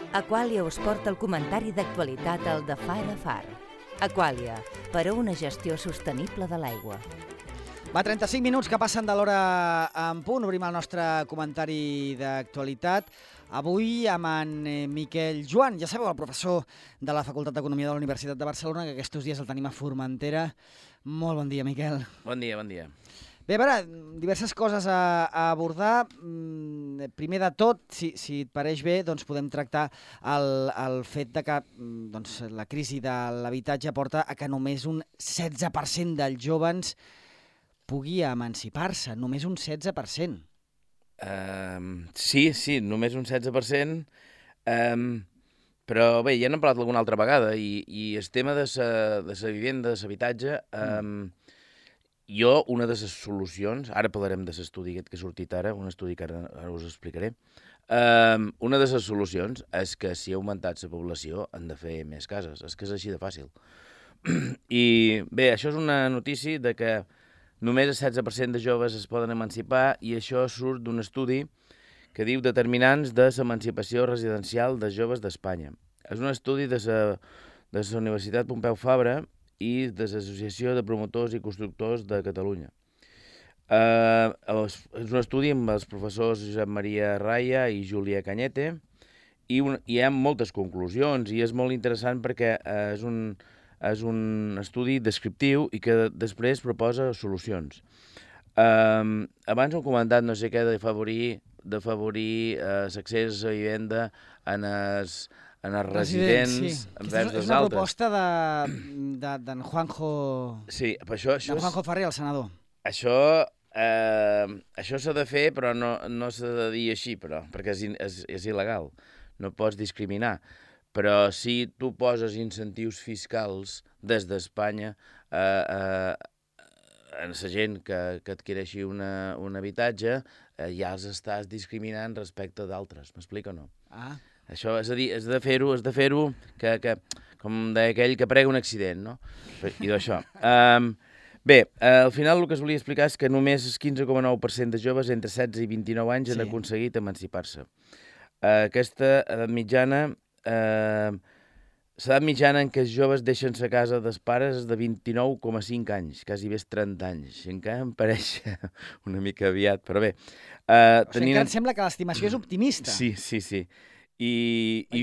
Aquàlia us porta el comentari d'actualitat al de Far a Far. Aquàlia, per a una gestió sostenible de l'aigua. Va, 35 minuts que passen de l'hora en punt. Obrim el nostre comentari d'actualitat. Avui amb en Miquel Joan, ja sabeu, el professor de la Facultat d'Economia de la Universitat de Barcelona, que aquests dies el tenim a Formentera. Molt bon dia, Miquel. Bon dia, bon dia. Bé, a veure, diverses coses a abordar. Primer de tot, si et pareix bé, doncs podem tractar el fet de que la crisi de l'habitatge porta a que només un 16% dels jóvens pugui emancipar-se, només un 16%. Sí, només un 16%, però bé, ja n'hem parlat alguna altra vegada, i el tema de la vivenda, de l'habitatge, jo, una de les solucions, ara parlarem de l'estudi aquest que ha sortit ara, un estudi que ara us explicaré, una de les solucions és que si ha augmentat la població han de fer més cases, és que és així de fàcil. I bé, això és una notícia de que només el 16% de joves es poden emancipar, i això surt d'un estudi que diu determinants de l'emancipació residencial de joves d'Espanya. És un estudi de la Universitat Pompeu Fabra i de l'Associació de Promotors i Constructors de Catalunya. És un estudi amb els professors Josep Maria Raya i Júlia Cañete, i hi ha moltes conclusions, i és molt interessant perquè és un estudi descriptiu i que després proposa solucions. Abans hem comentat no sé què d'afavorir l'accés a la vivenda en els residents envers dels altres. És una proposta d'en Juanjo... Sí, però això... D'en Juanjo Ferrer, el senador. Això s'ha de fer, però no s'ha de dir així, perquè és il·legal. No pots discriminar. Però si tu poses incentius fiscals des d'Espanya a la gent que adquireixi un habitatge, ja els estàs discriminant respecte d'altres. M'explico o no? Això, és a dir, has de fer-ho com deia aquell que prega un accident, no? I d'això. Bé, al final el que es volia explicar és que només el 15,9% de joves entre 16 i 29 anys han aconseguit emancipar-se. Aquesta edat mitjana... L'edat mitjana en què els joves deixen la casa dels pares és de 29,5 anys, quasi bé 30 anys. Encara em pareix una mica aviat, però bé. Encara em sembla que l'estimació és optimista. Sí.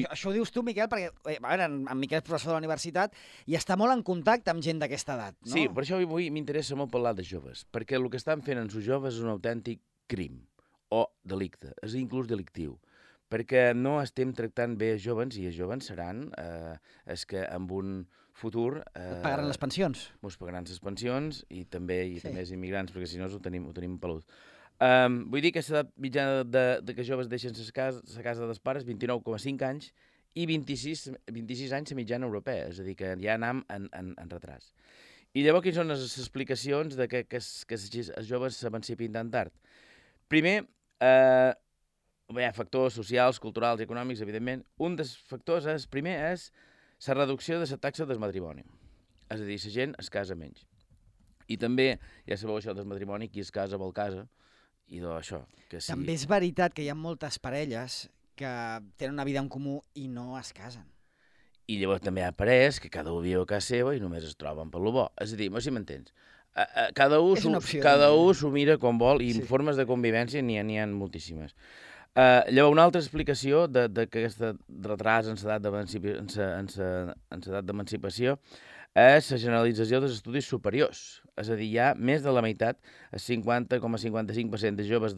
Això ho dius tu, Miquel, perquè a veure, en Miquel és professor de la universitat i està molt en contacte amb gent d'aquesta edat, no? Sí, per això avui m'interessa molt parlar de joves, perquè el que estan fent amb els joves és un autèntic crim o delicte, és inclús delictiu. Perquè no estem tractant bé els jovens, i els jovens seran els que en un futur... Pagaran les pensions. Ens pagaran les pensions, i també els immigrants, perquè si no ho tenim pelut. Vull dir que l'edat mitjana de que joves deixen la casa dels pares, 29,5 anys, i 26 anys la mitjana europea, és a dir, que ja anem en retras. I llavors, quines són les explicacions de que els joves s'emancipin tan tard? Primer, hi ha factors socials, culturals i econòmics, evidentment. Un dels factors primer és la reducció de la taxa del matrimoni. És a dir, la gent es casa menys. I també, ja sabeu això del matrimoni, qui es casa vol casa, i d'això. També és veritat que hi ha moltes parelles que tenen una vida en comú i no es casen. I llavors també hi ha parelles que cada un viu a casa seva i només es troben per lo bo. És a dir, no sé si m'entens. Cada un s'ho mira com vol, i formes de convivència n'hi ha moltíssimes. Llavors, una altra explicació d'aquest retras en l'edat d'emancipació és la generalització dels estudis superiors. És a dir, hi ha més de la meitat, el 50,55% de joves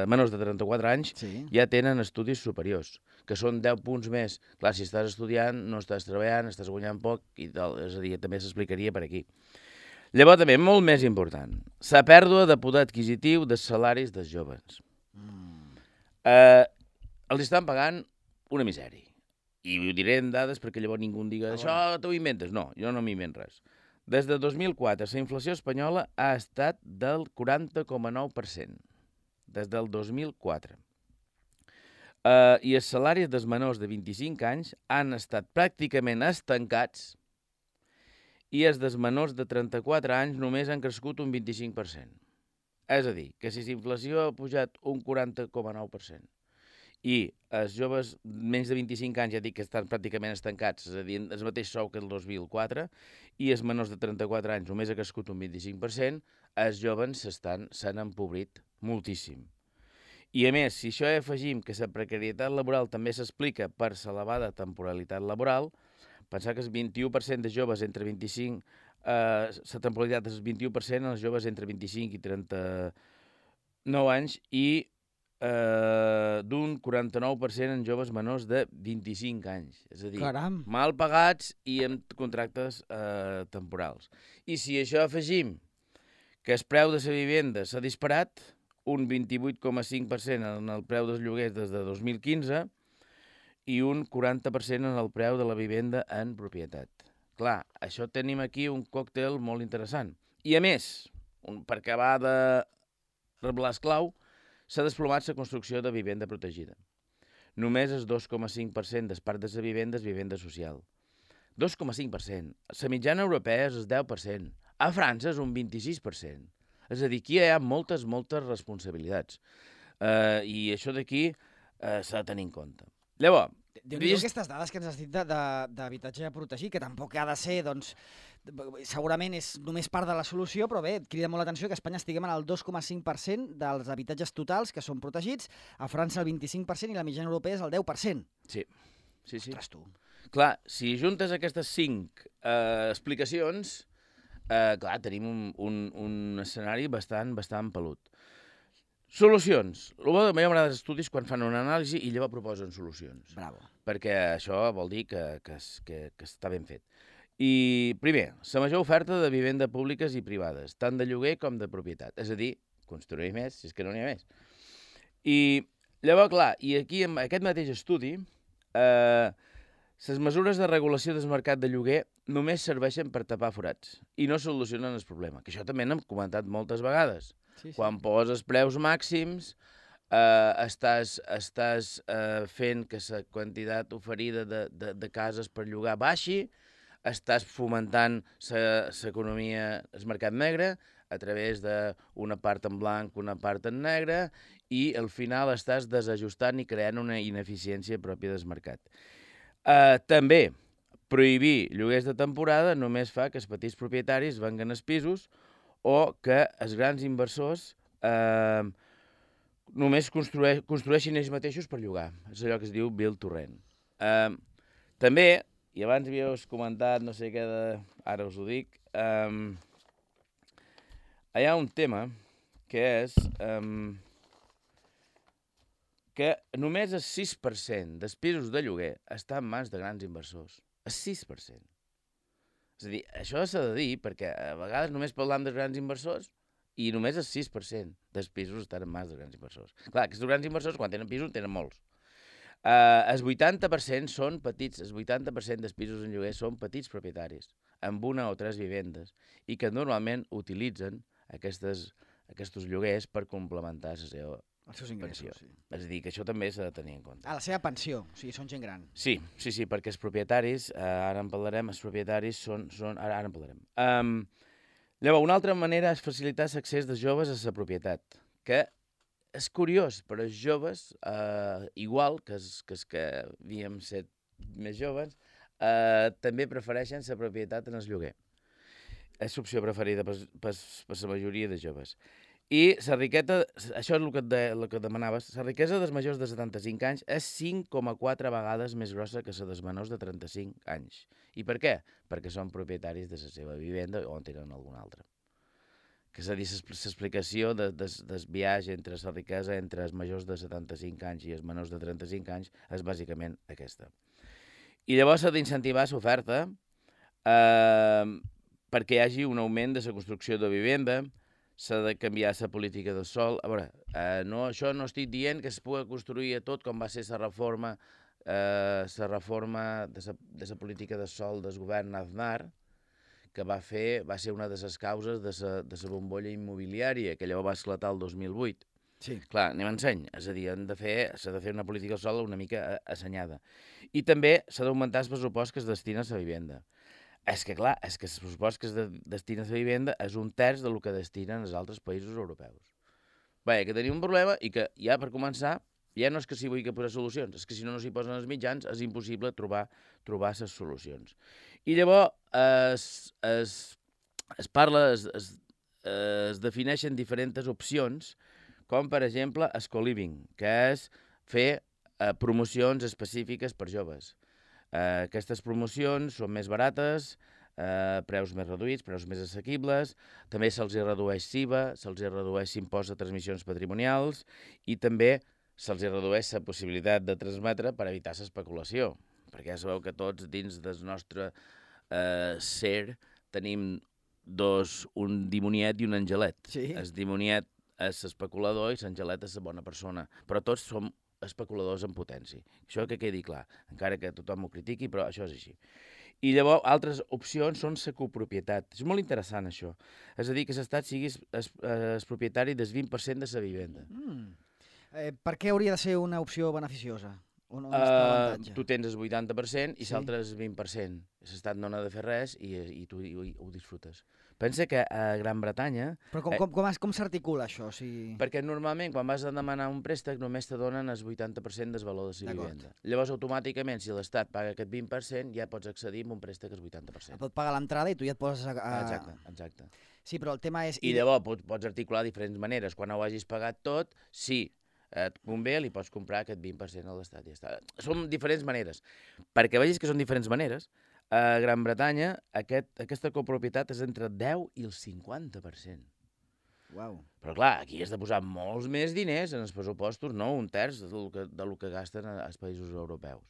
menors de 34 anys ja tenen estudis superiors, que són 10 punts més. Clar, si estàs estudiant, no estàs treballant, estàs guanyant poc, i tal. És a dir, també s'explicaria per aquí. Llavors, també, molt més important, la pèrdua de poder adquisitiu dels salaris dels joves. Els estan pagant una misèria. I ho diré en dades perquè llavors ningú em diga això t'ho inventes. No, jo no m'invento res. Des de 2004, la inflació espanyola ha estat del 40,9%. Des del 2004. I els salaris dels menors de 25 anys han estat pràcticament estancats, i els dels menors de 34 anys només han crescut un 25%. És a dir, que si la inflació ha pujat un 40,9% i els joves menys de 25 anys, ja dic que estan pràcticament estancats, és a dir, el mateix sou que el 2004, i els menors de 34 anys només ha crescut un 25%, els joves s'han empobrit moltíssim. I a més, si això afegim que la precarietat laboral també s'explica per l'elevada temporalitat laboral, pensar que el 21% de joves entre 25, la temporalitat és el 21% els joves entre 25 i 39 anys i d'un 49% en joves menors de 25 anys. És a dir, Caram. mal pagats i amb contractes temporals. I si això afegim que el preu de la vivenda s'ha disparat, un 28,5% en el preu dels lloguers des de 2015 i un 40% en el preu de la vivenda en propietat. Clar, això tenim aquí un còctel molt interessant. I a més, per acabar de reblar esclau, s'ha desplomat la construcció de vivenda protegida. Només el 2,5% del parc de la vivenda és vivenda social. 2,5%. La mitjana europea és el 10%. A França és un 26%. És a dir, aquí hi ha moltes responsabilitats. I això d'aquí s'ha de tenir en compte. Llavors, Déu-n'hi-do aquestes dades que ens has dit d'habitatge protegit, que tampoc ha de ser, doncs, segurament és només part de la solució, però bé, crida molt l'atenció que a Espanya estiguem en el 2,5% dels habitatges totals que són protegits, a França el 25% i la mitjana europea és el 10%. Sí. Ostres, tu. Clar, si juntes aquestes 5 explicacions, clar, tenim un escenari bastant pelut. Solucions. El bo de m'agrada els estudis quan fan una anàlisi i llavors proposen solucions. Bravo. Perquè això vol dir que està ben fet. I, primer, la major oferta de vivenda públiques i privades, tant de lloguer com de propietat. És a dir, construir més, si és que no n'hi ha més. I llavors, clar, i aquí en aquest mateix estudi, les mesures de regulació del mercat de lloguer només serveixen per tapar forats i no solucionen el problema, que això també n'hem comentat moltes vegades. Sí. Quan poses preus màxims, estàs fent que la quantitat oferida de cases per llogar baixi, estàs fomentant l'economia, el mercat negre, a través d'una part en blanc, una part en negre, i al final estàs desajustant i creant una ineficiència pròpia del mercat. També, prohibir lloguers de temporada només fa que els petits propietaris venguen els pisos o que els grans inversors només construeixin ells mateixos per llogar. És allò que es diu build to rent. També, i abans havíeu comentat, no sé què, ara us ho dic, hi ha un tema que és que només el 6% dels pisos de lloguer està en mans de grans inversors. El 6%. És a dir, això s'ha de dir perquè a vegades només parlam dels grans inversors i només el 6% dels pisos estan en mans de grans inversors. Clar, aquests grans inversors, quan tenen pisos, tenen molts. El 80% són petits, el 80% dels pisos en lloguer són petits propietaris, amb una o 3 vivendes, i que normalment utilitzen aquests lloguers per complementar la seva els seus ingressos, sí. És a dir, que això també s'ha de tenir en compte. La seva pensió, o sigui, són gent gran. Sí, perquè els propietaris, ara en parlarem, els propietaris són ara en parlarem. Llavors, una altra manera és facilitar l'accés dels joves a la propietat, que és curiós, però els joves, igual que els que havíem set més joves, també prefereixen la propietat en el lloguer. És l'opció preferida per la majoria de joves. I la riquesa, això és el que demanaves, la riquesa dels majors de 75 anys és 5,4 vegades més grossa que la dels menors de 35 anys. I per què? Perquè són propietaris de la seva vivenda o en tenen alguna altra. Que és a dir, l'explicació del viatge entre la riquesa entre els majors de 75 anys i els menors de 35 anys és bàsicament aquesta. I llavors s'ha d'incentivar l'oferta perquè hi hagi un augment de la construcció de vivenda, s'ha de canviar la política del sòl. A veure, això no estic dient que es pugui construir a tot com va ser la reforma de la política del sòl del govern Aznar, que va ser una de les causes de la bombolla immobiliària, que llavors va esclatar el 2008. Sí. Clar, anem en seny. És a dir, s'ha de fer una política del sòl una mica assenyada. I també s'ha d'augmentar el pressupost que es destina a la vivenda. És que, clar, el pressupost que es destina a la vivenda és 1/3 del que destinen els altres països europeus. Bé, que tenim un problema i que ja per començar Ja no és que s'hi vulgui posar solucions, és que si no s'hi posen els mitjans és impossible trobar les solucions. I llavors es parla, es defineixen diferents opcions, com per exemple el co-living, que és fer promocions específiques per joves. Aquestes promocions són més barates, preus més reduïts, preus més assequibles, també se'ls redueix SIVA, se'ls redueix l'impost de transmissions patrimonials i també se'ls redueix la possibilitat de transmetre per evitar l'especulació, perquè ja sabeu que tots dins del nostre ser tenim un dimoniet i un angelet. Sí. El dimoniet és l'especulador i l'angelet és la bona persona, però tots som especuladors en potència. Això que quedi clar, encara que tothom ho critiqui, però això és així. I llavors, altres opcions són la copropietat. És molt interessant, això. És a dir, que l'Estat sigui el propietari del 20% de la vivenda. Per què hauria de ser una opció beneficiosa? On està l'avantatge? Tu tens el 80% i Sí. l'altre el 20%. L'Estat no n'ha de fer res i tu ho disfrutes. Pensa que a Gran Bretanya... Però com s'articula això? Perquè normalment quan vas a demanar un préstec només te donen el 80% del valor de la vivenda. Llavors automàticament si l'Estat paga aquest 20% ja pots accedir a un préstec al 80%. Pot pagar l'entrada i tu ja et poses Exacte. Sí, però el tema és... I llavors pots articular diferents maneres. Quan ho hagis pagat tot, si et convé, li pots comprar aquest 20% a l'Estat. Ja està. Són diferents maneres. Perquè vegis que són diferents maneres, a Gran Bretanya aquesta copropietat és entre el 10 i el 50%. Uau. Però clar, aquí has de posar molts més diners en els pressupostos, no un terç del que gasten els països europeus.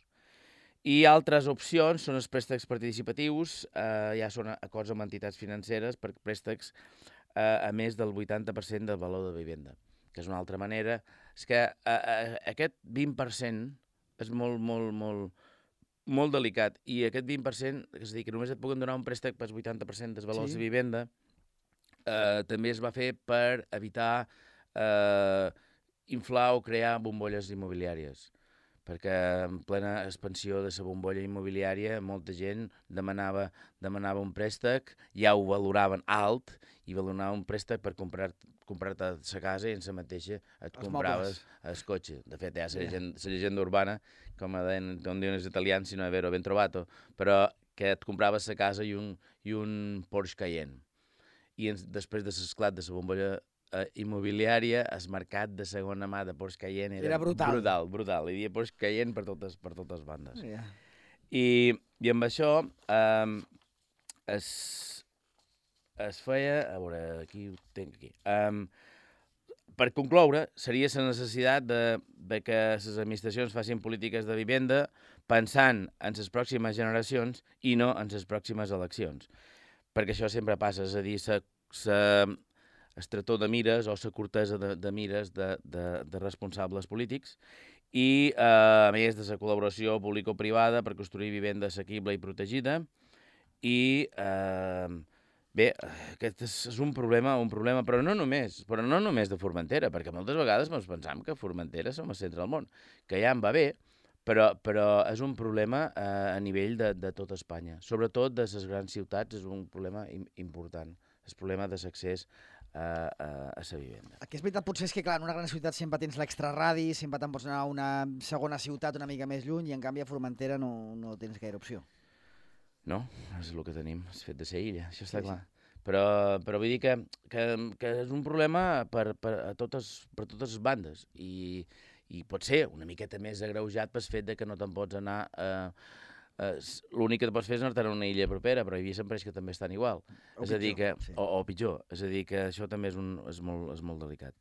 I altres opcions són els préstecs participatius, ja són acords amb entitats financeres per préstecs a més del 80% del valor de vivenda, que és una altra manera. És que aquest 20% és molt delicat, i aquest 20%, és a dir, que només et puguen donar un préstec pel 80% dels valors de vivenda, també es va fer per evitar inflar o crear bombolles immobiliàries, perquè en plena expansió de la bombolla immobiliària molta gent demanava un préstec, ja ho valoraven alt, i valoraven un préstec per comprar-te la casa i en la mateixa et compraves el cotxe. De fet, ja la llegenda urbana, com diuen els italians, si no è vero, ben trovato, però que et compraves la casa i un Porsche Cayenne. I després de l'esclat de la bombolla immobiliària, el mercat de segona mà de Porsche Cayenne era brutal. Hi havia Porsche Cayenne per totes bandes. Yeah. I amb això es feia... A veure, aquí ho tinc aquí. Per concloure, seria la necessitat de que les administracions facin polítiques de vivenda pensant en les pròximes generacions i no en les pròximes eleccions. Perquè això sempre passa, és a dir, estretor de mires o la curtesa de mires de responsables polítics i, a més, de la col·laboració público-privada per construir vivenda assequible i protegida. I, bé, aquest és un problema, però no només de Formentera, perquè moltes vegades ens pensam que Formentera som el centre del món, que ja en va bé, però és un problema a nivell de tota Espanya. Sobretot de les grans ciutats és un problema important, el problema de l'accés a la vivenda. El que és veritat potser és que, clar, en una gran ciutat sempre tens l'extraradi, sempre te'n pots anar a una segona ciutat una mica més lluny, i en canvi a Formentera no tens gaire opció. No, és el que tenim, el fet de ser illa, això està clar. Però vull dir que és un problema per totes les bandes i pot ser una miqueta més agreujat pel fet que no te'n pots anar... L'únic que pots fer és anar-te'n a una illa propera, però hi havia sempre que també estan igual. O pitjor. És a dir, que això també és molt delicat.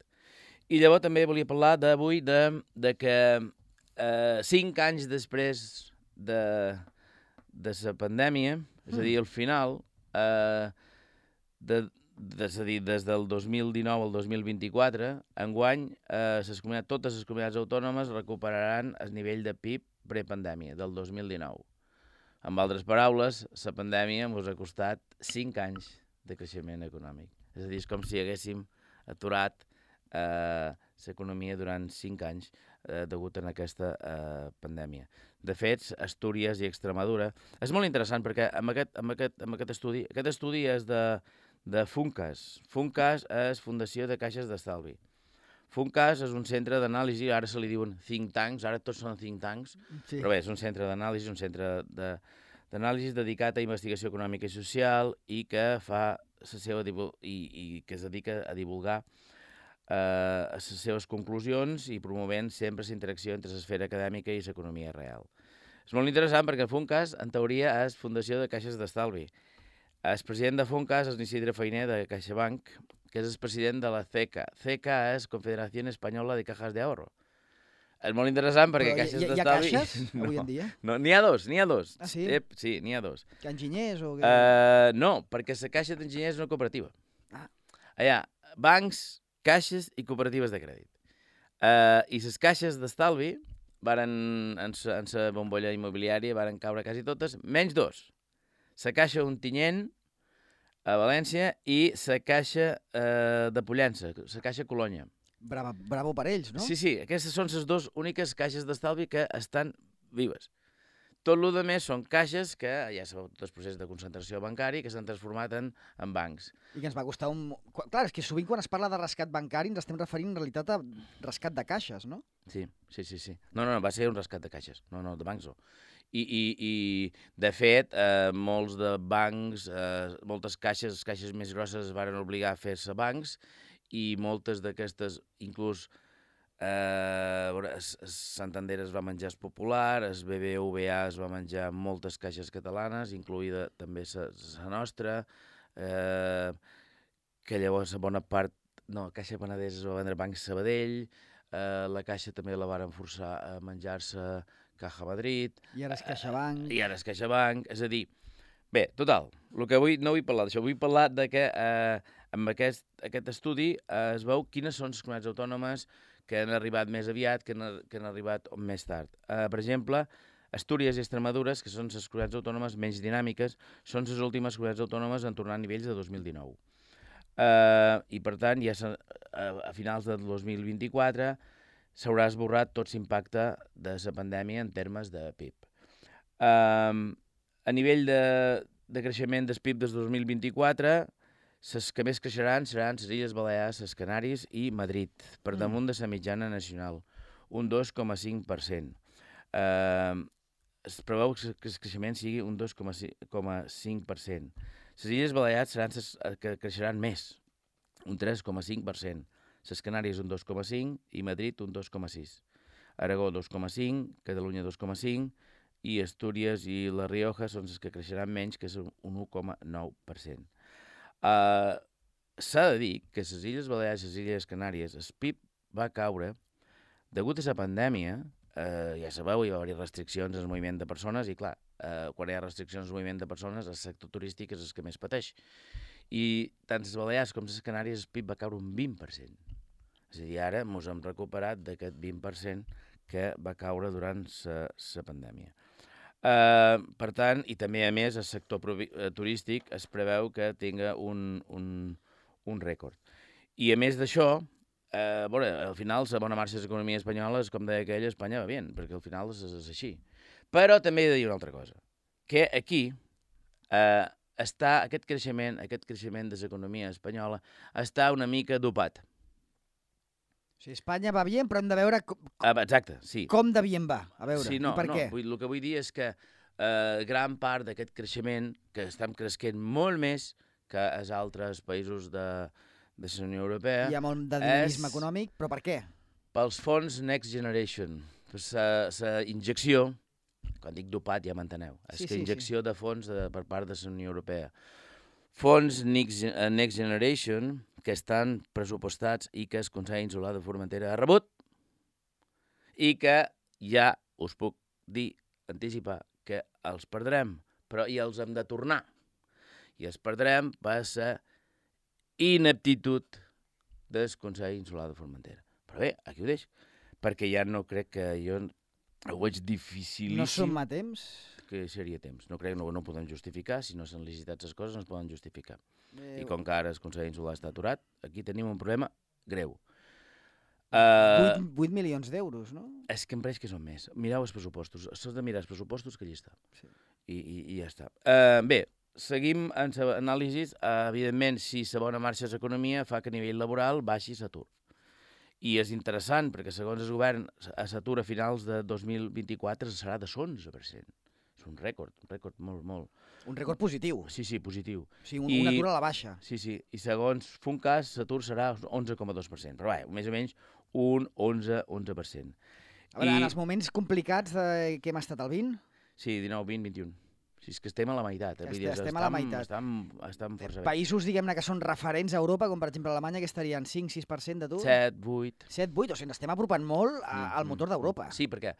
I llavors també volia parlar d'avui de que 5 anys després de la pandèmia, és a dir, al final, és a dir, des del 2019 al 2024, enguany totes les comunitats autònomes recuperaran el nivell de PIB prepandèmia del 2019. Amb altres paraules, la pandèmia ens ha costat 5 anys de creixement econòmic. És a dir, és com si haguéssim aturat l'economia durant 5 anys degut a aquesta pandèmia. De fet, Astúries i Extremadura... És molt interessant perquè amb aquest estudi és de Funcas. Funcas és Fundació de Caixes d'Estalvi. FUNCAS és un centre d'anàlisi, ara se li diuen think tanks, ara tots són think tanks, però bé, és un centre d'anàlisi, un centre d'anàlisi dedicat a investigació econòmica i social i que fa la seva i que es dedica a divulgar les seves conclusions i promovent sempre la interacció entre l'esfera acadèmica i l'economia real. És molt interessant perquè FUNCAS, en teoria, és Fundació de Caixes d'Estalvi. El president de FUNCAS és Isidre Fainé, de CaixaBank, que és el president de la CECA. CECA és Confederació Espanyola de Cajas de Ahorro. És molt interessant perquè Caixes d'Estalvi... Hi ha caixes avui en dia? No, n'hi ha dos. Ah, sí? Sí, n'hi ha dos. Enginyers o què? No, perquè la Caixa d'Enginyers és una cooperativa. Ah. Hi ha bancs, caixes i cooperatives de crèdit. I les caixes d'estalvi en la bombolla immobiliària varen caure quasi totes, menys dos. La Caixa Ontinyent, a València, i la Caixa de Pollença, la Caixa Colònia. Bravo per ells, no? Sí, aquestes són les dues úniques caixes d'estalvi que estan vives. Tot el que més són caixes que ja sabeu tot el procés de concentració bancari que s'han transformat en bancs. I que ens va costar un... Clar, és que sovint quan es parla de rescat bancari ens estem referint en realitat a rescat de caixes, no? Sí. No, va ser un rescat de caixes, no, de bancs no. I de fet, molts de bancs, moltes caixes més grosses es van obligar a fer-se bancs i moltes d'aquestes, inclús Santander es va menjar el Popular, el BBVA es va menjar moltes caixes catalanes, incloïda també la nostra, que llavors a bona part, Caixa Penedès es va vendre Banc Sabadell, la Caixa també la varen forçar a menjar-se Caja Madrid. I ara és CaixaBank. És a dir, bé, total, el que no vull parlar d'això, vull parlar de que amb aquest estudi es veu quines són les comunitats autònomes que han arribat més aviat, que han arribat més tard. Per exemple, Astúries i Extremadura, que són les comunitats autònomes menys dinàmiques, són les últimes comunitats autònomes en tornar a nivells de 2019. I per tant, ja a finals del 2024 s'haurà esborrat tot l'impacte de la pandèmia en termes de PIB. A nivell de creixement del PIB des 2024, les que més creixeran seran les Illes Balears, les Canàries i Madrid, per damunt de la mitjana nacional, un 2,5%. Es preveu que el creixement sigui un 2,5%. Les Illes Balears seran les que creixeran més, un 3,5%. Les Canàries un 2,5% i Madrid un 2,6%. Aragó 2,5%, Catalunya 2,5%, i Astúries i La Rioja són les que creixeran menys, que és un 1,9%. S'ha de dir que les Illes Balears i les Illes Canàries, el PIB va caure degut a la pandèmia. Ja sabeu, hi va haver restriccions al moviment de persones i, clar, quan hi ha restriccions al moviment de persones, el sector turístic és el que més pateix. I tant les Balears com les Canàries, el PIB va caure un 20%. És a dir, ara ens hem recuperat d'aquest 20% que va caure durant la pandèmia. Per tant, i també, a més, el sector turístic es preveu que tinga un rècord. I, a més d'això, al final, la bona marxa de l'economia espanyola és, com deia aquella, Espanya va bé, perquè al final és així. Però també he de dir una altra cosa, que aquí està aquest creixement de l'economia espanyola està una mica dopat. O sigui, Espanya va bé, però hem de veure exacte, sí. Com de bé va. A veure, sí, i per què? El que vull dir és que gran part d'aquest creixement, que estem creixent molt més que els altres països de la Unió Europea... Hi ha molt de dinamisme econòmic, però per què? Pels fons Next Generation, per la injecció, quan dic dopat ja m'enteneu, és que injecció de fons per part de la Unió Europea. Fons Next Generation que estan pressupostats i que el Consell Insular de Formentera ha rebut i que ja us puc dir, anticipar, que els perdrem, però i els hem de tornar. I els perdrem per la ineptitud del Consell Insular de Formentera. Però bé, aquí ho deixo, perquè ja no crec que jo ho veig dificilíssim. No som a temps? Que seria temps. No crec que no ho podem justificar. Si no s'han licitat les coses, no es poden justificar. I com que ara el Consell Insular està aturat, aquí tenim un problema greu. 8 milions d'euros, no? És que em pareix que són més. Mireu els pressupostos. S'has de mirar els pressupostos, que allà està. Sí. I ja està. Bé, seguim en l'anàlisi. Evidentment, si la bona marxa de l'economia fa que a nivell laboral baixi l'atur. I és interessant, perquè segons el govern, l'atur a finals de 2024 serà de l'11%. És un rècord molt... Un rècord positiu. Sí, positiu. O sigui, un atur a la baixa. Sí, i segons Funcas, l'atur serà 11,2%, però més o menys un 11%. A veure, en els moments complicats que hem estat al 20? Sí, 19, 20, 21. Sí, és que estem a la meitat. Estem a la meitat. Estem força bé. Països, diguem-ne, que són referents a Europa, com per exemple Alemanya, que estarien 5-6% d'atur? 7, 8. 7, 8, o sigui, estem apropant molt al motor d'Europa. Sí, perquè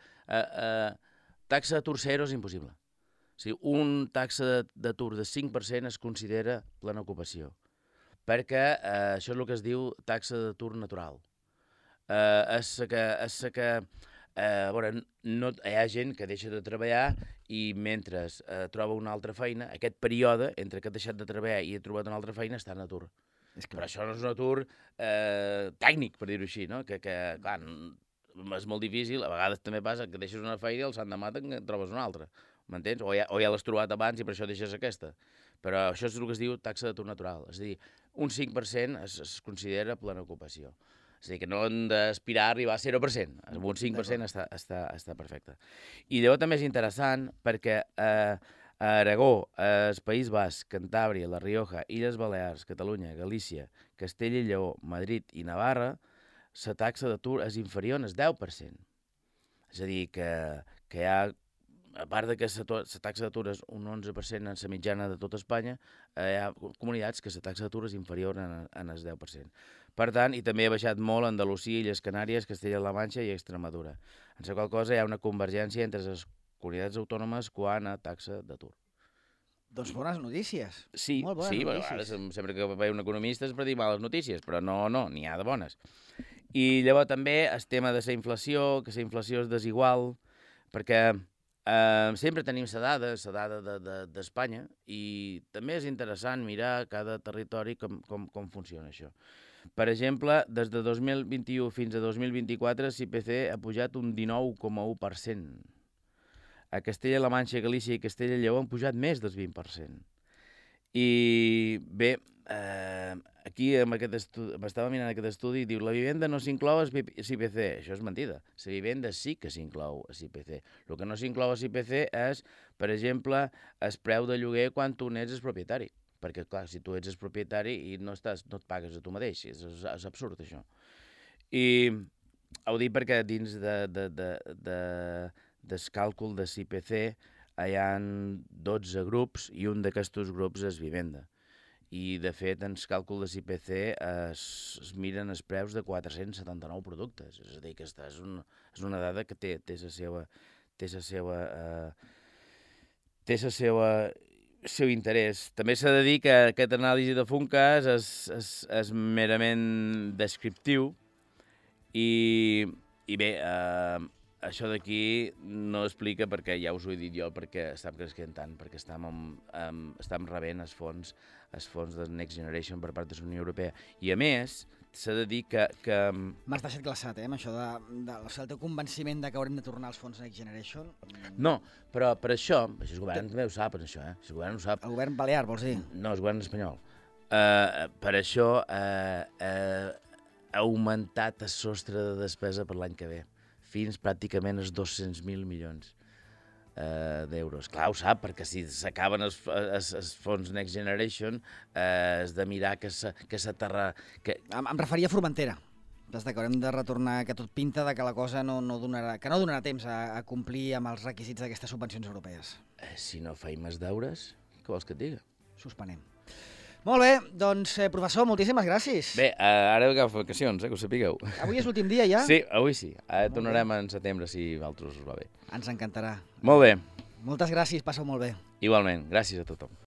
taxa d'atur zero és impossible. O sigui, un taxa d'atur de 5% es considera plena ocupació, perquè això és el que es diu taxa d'atur natural. Hi ha gent que deixa de treballar i mentre troba una altra feina, aquest període entre que ha deixat de treballar i ha trobat una altra feina està en atur. Però això no és un atur tècnic, per dir-ho així, no? Que clar, és molt difícil, a vegades també passa que deixes una feina i el l'endemà te'n trobes una altra, m'entens? O ja l'has trobat abans i per això deixes aquesta. Però això és el que es diu taxa d'atur natural, és a dir, un 5% es considera plena ocupació. És a dir, que no hem d'aspirar a arribar a 0%. Amb un 5% està perfecte. I llavors també és interessant perquè a Aragó, el País Basc, Cantàbria, La Rioja, Illes Balears, Catalunya, Galícia, Castella i Lleó, Madrid i Navarra, la taxa d'atur és inferior al 10%. És a dir, que hi ha, a part de que la taxa d'atur és un 11% en la mitjana de tota Espanya, hi ha comunitats que la taxa d'atur és inferior en el 10%. Per tant, i també ha baixat molt Andalusia, Illes Canàries, Castella-La Manxa i Extremadura. En la qual cosa hi ha una convergència entre les comunitats autònomes quant a taxa d'atur. Doncs bones notícies. Sí, molt bones notícies. Ara sempre que ve un economista és per dir males notícies, però no, n'hi ha de bones. I llavors també el tema de la inflació, que la inflació és desigual, perquè sempre tenim la dada d'Espanya i també és interessant mirar cada territori com funciona això. Per exemple, des de 2021 fins a 2024, l'IPC ha pujat un 19,1%. A Castella-La Manxa, Galícia i Castella i Lleó han pujat més del 20%. I bé, aquí m'estava mirant aquest estudi i diu la vivenda no s'inclou a l'IPC. Això és mentida. La vivenda sí que s'inclou a l'IPC. El que no s'inclou a l'IPC és, per exemple, el preu de lloguer quan tu n'ets el propietari. Perquè, clar, si tu ets el propietari i no et pagues a tu mateix, és absurd, això. I ho dic perquè dins del càlcul de l'IPC hi ha 12 grups i un d'aquests grups és vivenda. I, de fet, en el càlcul de l'IPC es miren els preus de 479 productes. És a dir, que és una dada que té el seu interès. També s'ha de dir que aquesta anàlisi de Funcas és merament descriptiu i bé, això d'aquí no explica perquè ja us ho he dit jo, perquè estem creixent tant, perquè estem rebent els fons de Next Generation per part de la Unió Europea. I a més, s'ha de dir que... M'has deixat glaçat, amb això del teu convenciment que haurem de tornar als fons Next Generation. No, però per això el govern també ho sap, això, el govern ho sap. El govern balear, vols dir? No, el govern espanyol. Per això ha augmentat el sostre de despesa per l'any que ve, fins pràcticament als 200.000 milions d'euros. Clar, ho sap, perquè si s'acaben els fons Next Generation, has de mirar que s'aterra... Em referia a Formentera. Des que haurem de retornar, que tot pinta de que la cosa no donarà temps a complir amb els requisits d'aquestes subvencions europees. Si no feim els deures, què vols que et diga? Suspenem. Molt bé, doncs, professor, moltíssimes gràcies. Bé, ara agafo vacacions, que ho sapigueu. Avui és l'últim dia, ja? Sí, avui sí. Ara tornarem en setembre, si a altres us va bé. Ens encantarà. Molt bé. Moltes gràcies, passeu molt bé. Igualment, gràcies a tothom.